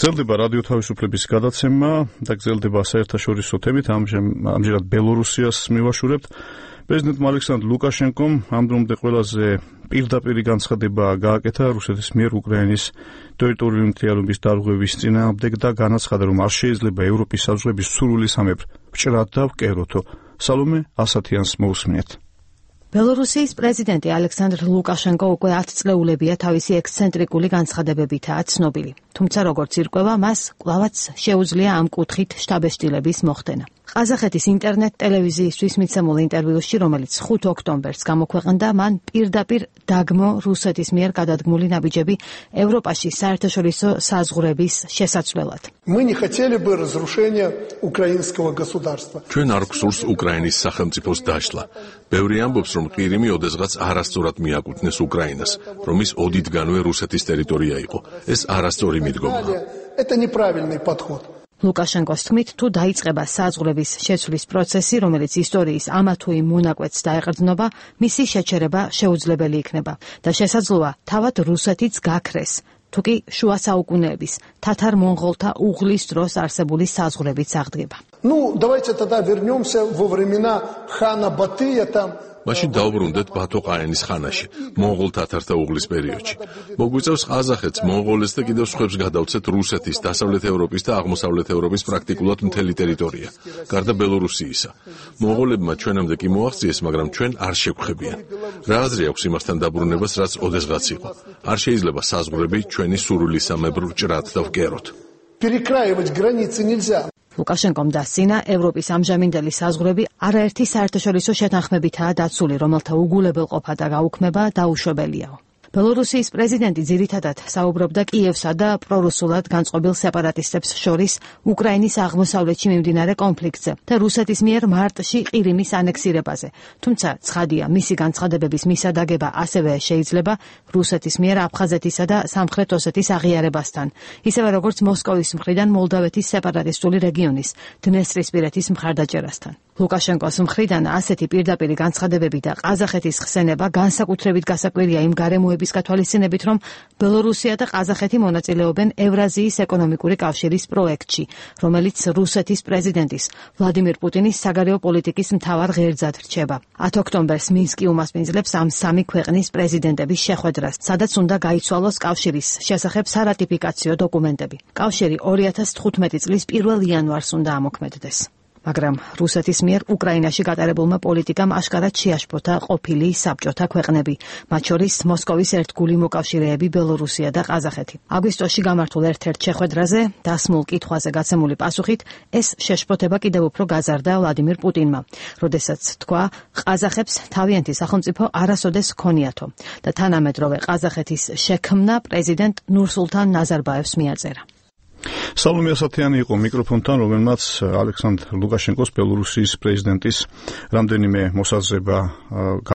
გრძელდება რადიო თავისუფლების გადაცემა და გრძელდება საერთაშორისო თემით. ამჟამად ბელორუსიას მივაშურებთ. პრეზიდენტმა ალექსანდრ ლუკაშენკომ ამ დრომდე ყველაზე პირდაპირი განცხადება გააკეთა რუსეთის მიერ უკრაინის ტერიტორიული მთლიანობის დარღვევის წინააღმდეგ და განაცხადა, რომ არ შეიძლება ევროპის საზღვრების სრულისამებრ ვჭრად და ვკეროთო. სალომე ასათიანს მოусმინეთ. ბელორუსიის პრეზიდენტი ალექსანდრ ლუკაშენკო უკვე 10 წლეულებია თავისი ექსცენტრიკული განცხადებებითაა ცნობილი. თუმცა როგორც ირკვევა, მას კვლავაც შეუძლია ამ კუთხით შთაბეჭდილების მოხდენა. ყაზახეთის ინტერნეტ ტელევიზიისთვის მიცემულ ინტერვიუში, რომელიც 5 ოქტომბერს გამოქვეყნდა, მან პირდაპირ დაგმო რუსეთის მიერ გადადგმული ნაბიჯები ევროპაში საერთაშორისო საზღვრების შესაცვლელად. ჩვენ არ გვსურს უკრაინის სახელმწიფოს დაშლა. ბევრი ამბობს, რომ ყირიმი ოდესღაც არასწორად მიაკუთვნეს უკრაინას, რომ ის ოდითგანვე რუსეთის ტერიტორია იყო. ეს არასწორი მიდგომაა. ლუკაშენკოს თქმით, თუ დაიწყება საზღვრების შეცვლის პროცესი, რომელიც ისტორიის ამა თუ იმ მონაკვეთს დაეყრდნობა, მისი შეჩერება შეუძლებელი იქნება და შესაძლოა თავად რუსეთიც გაქრეს, თუ კი შუა საუკუნეების თათარ-მონღოლთა უღლის დროს არსებული საზღვრებიც აღდგება. მაშინ დაუბრუნდეთ ბათო ყაენის ხანაში, მონღოლ-თათართა უღლის პერიოდში. მოგვიწევს ყაზახეთს, მონღოლეთს და კიდევ სხვებს გადავცეთ რუსეთის, დასავლეთ ევროპის და აღმოსავლეთ ევროპის პრაქტიკულად მთელი ტერიტორია, გარდა ბელორუსიისა. მონღოლებმა ჩვენამდე კი მოაღწიეს, მაგრამ ჩვენ არ შევხვებიან. რა აზრი აქვს იმასთან დაბრუნებას, რაც ოდესღაც იყო? არ შეიძლება საზღვრები ჩვენი სრულისამებრ ვჭრად და ვკეროთ. ლუკაშენკომ დასცინა, ევროპის ამჟამინდელი საზღვრები არაერთი საერთაშორისო შეთანხმებითაა დაცული, რომელთა უგულებელყოფა და გაუქმება დაუშვებელიაო. ბელორუსიის პრეზიდენტი ძირითადად საუბრობდა კიევსა და პრორუსულად განწყობილ სეპარატისტებს შორის უკრაინის აღმოსავლეთში მიმდინარე კონფლიქტზე და რუსეთის მიერ მარტში ყირიმის ანექსირებაზე. თუმცა ცხადია, მისი განცხადებების მისადაგება ასევე შეიძლება რუსეთის მიერ აფხაზეთისა და სამხრეთ ოსეთის აღიარებასთან, ისევე როგორც მოსკოვის მხრიდან მოლდავეთის სეპარატისტული რეგიონის დნესტრისპირეთის მხარდაჭერასთან. ლუკაშენკოს მხრიდან ასეთი პირდაპირი განცხადებები და ყაზახეთის ხსენება განსაკუთრებით გასაკვირია იმ გარემოების გათვალისწინებით, რომ ბელორუსია და ყაზახეთი მონაწილეობენ ევრაზიის ეკონომიკური კავშირის პროექტში, რომელიც რუსეთის პრეზიდენტის ვლადიმირ პუტინის საგარეო პოლიტიკის მთავარ ღერძად რჩება. 10 ოქტომბერს მინსკი უმასპინძლებს ამ სამი ქვეყნის პრეზიდენტების შეხვედრას, სადაც უნდა გაიცვალოს კავშირის შესახებ სარატიფიკაციო დოკუმენტები. კავშირი 2015 წლის 1 იანვარს უნდა ამოქმედდეს. მაგრამ რუსეთის მიერ უკრაინაში გატარებულმა პოლიტიკამ აშკარად შეაშფოთა ყოფილი საბჭოთა ქვეყნები, მათ შორის მოსკოვის ერთგული მოკავშირეები ბელორუსია და ყაზახეთი. აგვისტოში გამართულ ერთ-ერთ შეხვედრაზე დასმულ კითხვაზე გაცემული პასუხით, ეს შეშფოთება კიდევ უფრო გაზარდა ვლადიმირ პუტინმა, როდესაც თქვა, ყაზახებს თავიანთი სახელმწიფო არასოდეს ჰქონიათო და თანამედროვე ყაზახეთის შექმნა პრეზიდენტ ნურსულთან ნაზარბაევს მიაწერა. სალომე ასათიანი იყო მიკროფონთან, რომელმაც ალექსანდრ ლუკაშენკოს ბელორუსიის პრეზიდენტის რამდენიმე მოსაზრება